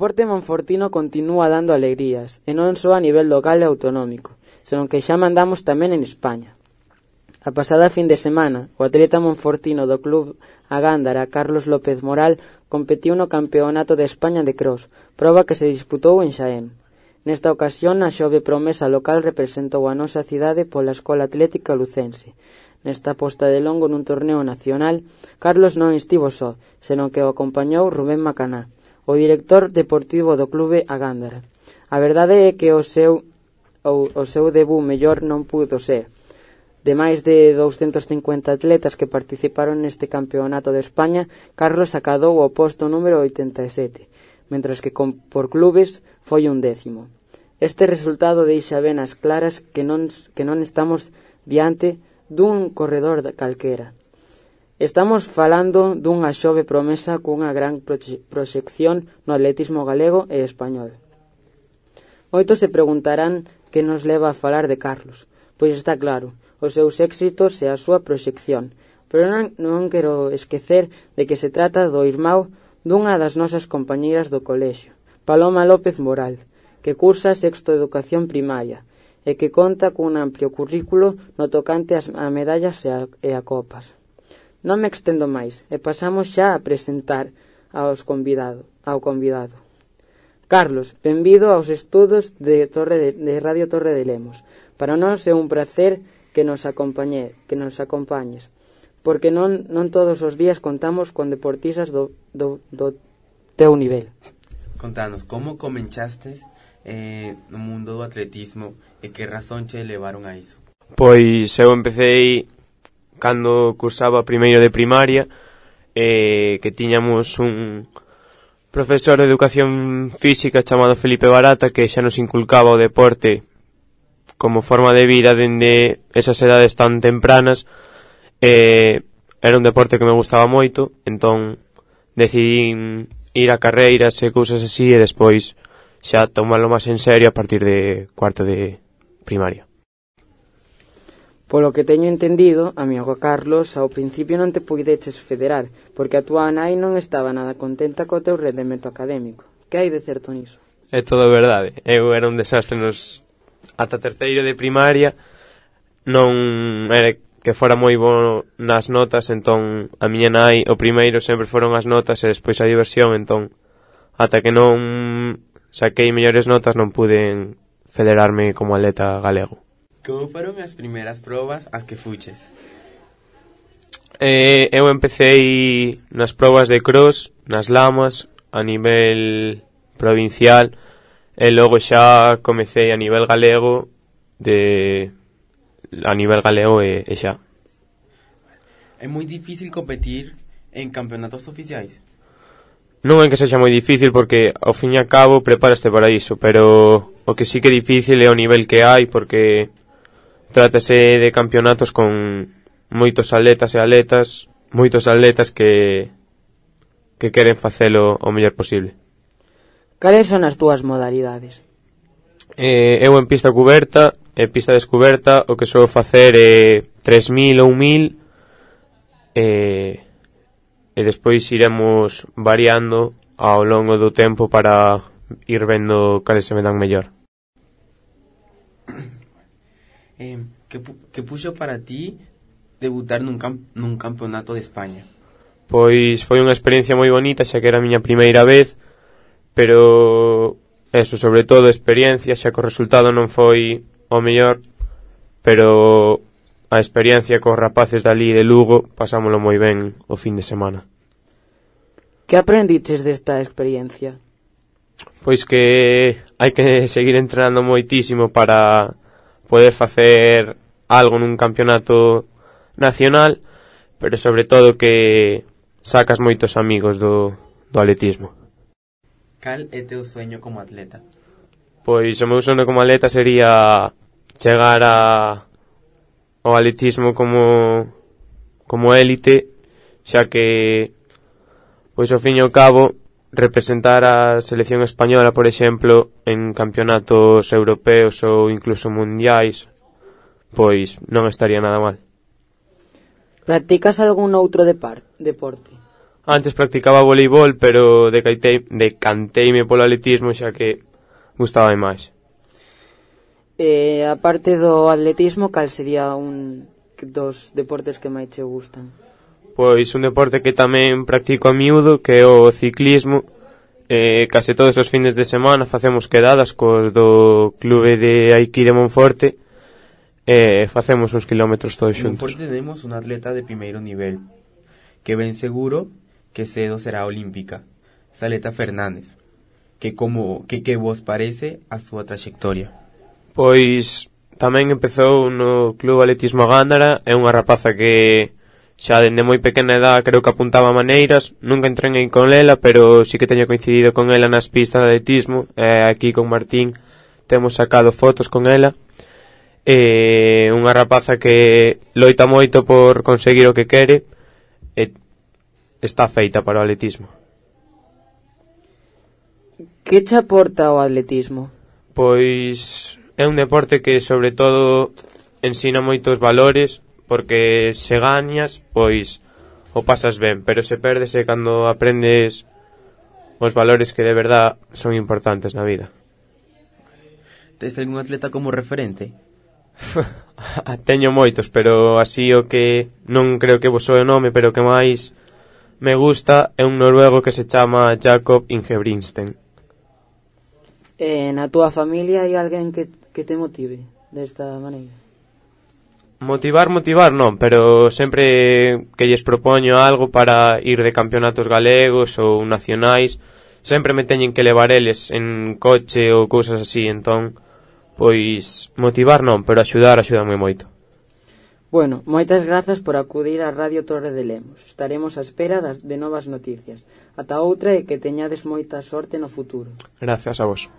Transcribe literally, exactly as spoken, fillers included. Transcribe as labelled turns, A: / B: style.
A: deporte monfortino continúa dando alegrías, e non só a nivel local e autonómico, senón que xa mandamos tamén en España. A pasada fin de semana, o atleta monfortino do club A Gándara, Carlos López Moral, competiu no Campeonato de España de Cross, proba que se disputou en Xaén. Nesta ocasión, a xove promesa local representou a nosa cidade pola Escola Atlética Lucense. Nesta posta de longo nun torneo nacional, Carlos non estivo só, senón que o acompañou Rubén Macaná, o director deportivo do clube A Gándara. A verdade é que o seu, o, o seu debut mellor non pudo ser. De máis de douscentos cincuenta atletas que participaron neste campeonato de España, Carlos acadou o posto número oitenta e sete, mentras que con, por clubes foi un décimo. Este resultado deixa ben as claras que non, que non estamos diante dun corredor calquera. Estamos falando dunha xove promesa cunha gran proxección no atletismo galego e español. Moitos se preguntarán que nos leva a falar de Carlos. Pois está claro, os seus éxitos e a súa proxección. Pero non, non quero esquecer de que se trata do irmão dunha das nosas compañeiras do colexio, Paloma López Moral, que cursa sexto educación primaria e que conta cun amplio currículo no tocante a medallas e a, e a copas. Non me extendo máis e pasamos xa a presentar aos convidado, ao convidado. Carlos, benvido aos estudos de, Torre de, de Radio Torre de Lemos. Para nós é un placer que nos acompañe, que nos acompañes, porque non, non todos os días contamos con deportistas do, do, do teu nivel.
B: Contanos, como comenchaste eh, no mundo do atletismo e que razón che levaron a iso?
C: Pois eu empecei cando cursaba primeiro de primaria, eh, que tiñamos un profesor de educación física chamado Felipe Barata, que xa nos inculcaba o deporte como forma de vida dende esas edades tan tempranas. Eh, era un deporte que me gustaba moito, entón decidí ir a carreiras e cousas así, e despois xa tomarlo máis en serio a partir de cuarto de primaria.
A: Polo que teño entendido, amigo Carlos, ao principio non te puideches federar, porque a túa nai non estaba nada contenta co teu rendemento académico. Que hai de certo niso?
C: É todo verdade. Eu era un desastre nos ata terceiro de primaria, non era que fora moi bo nas notas, entón a miña nai o primeiro sempre foron as notas e despois a diversión, entón ata que non saquei mellores notas non pude federarme como atleta galego.
B: Como foron as primeiras probas as que fuches?
C: Eh, eu empecei nas probas de cross, nas lamas, a nivel provincial, e logo xa comecei a nivel galego, de a nivel galego e, e xa.
B: É moi difícil competir en campeonatos oficiais?
C: Non é que sexa moi difícil, porque ao fin e a cabo preparaste para iso, pero o que sí que é difícil é o nivel que hai, porque trátase de campeonatos con moitos atletas e atletas, moitos atletas que que queren facelo o mellor posible.
A: Cales son as túas modalidades?
C: Eh, eu en pista cuberta e pista descuberta o que sou facer é tres mil ou mil, e, e despois iremos variando ao longo do tempo para ir vendo cales se me dan mellor.
B: Eh, que, pu- que puxo para ti debutar nun, cam- nun campeonato de España?
C: Pois foi unha experiencia moi bonita, xa que era a miña primeira vez, pero eso, sobre todo experiencia, xa que o resultado non foi o mellor, pero a experiencia cos rapaces dali de Lugo pasámolo moi ben o fin de semana.
A: Que aprendiches desta experiencia?
C: Pois que hai que seguir entrenando moitísimo para poder facer algo nun campeonato nacional, pero sobre todo que sacas moitos amigos do, do atletismo.
B: Cal é teu sueño como atleta?
C: Pois o meu sono como atleta sería chegar a ao atletismo como como élite, xa que pois ao fin e ao cabo representar a selección española, por exemplo, en campeonatos europeos ou incluso mundiais, pois non estaría nada mal.
A: Practicas algún outro depar- deporte?
C: Antes practicaba voleibol, pero decantei, decanteime polo atletismo xa que gustaba máis.
A: Eh, a parte do atletismo, cal sería un dos deportes que máis che gustan?
C: Pois un deporte que tamén practico a miúdo, que é o ciclismo. Eh, case todos os fines de semana facemos quedadas cos do clube de aquí de Monforte e eh, facemos uns kilómetros todos xuntos.
B: En Monforte tenemos un atleta de primeiro nivel que ben seguro que cedo será olímpica, Saleta Fernández. Que como que que vos parece a súa trayectoria?
C: Pois tamén empezou no Club Atletismo Gándara, é unha rapaza que xa dende moi pequena edad creo que apuntaba maneiras, nunca entrei con ela, pero sí que teño coincidido con ela nas pistas de atletismo, e aquí con Martín temos sacado fotos con ela, e unha rapaza que loita moito por conseguir o que quere, e está feita para o atletismo.
A: Que che aporta o atletismo?
C: Pois é un deporte que sobre todo ensina moitos valores, porque se gañas, pois o pasas ben, pero se perdes é cando aprendes os valores que de verdad son importantes na vida.
B: Tes algún atleta como referente?
C: Teño moitos, pero así o que non creo que vos soe o nome, pero que máis me gusta é un noruego que se chama Jakob Ingebrigtsen.
A: Eh, na túa familia hai alguén que que te motive desta maneira?
C: Motivar, motivar non, pero sempre que lles propoño algo para ir de campeonatos galegos ou nacionais, sempre me teñen que levar eles en coche ou cousas así, entón, pois motivar non, pero axudar, axúdame moito.
A: Bueno, moitas grazas por acudir á Radio Torre de Lemos. Estaremos á espera das, de novas noticias. Ata outra e que teñades moita sorte no futuro.
C: Gracias a vos.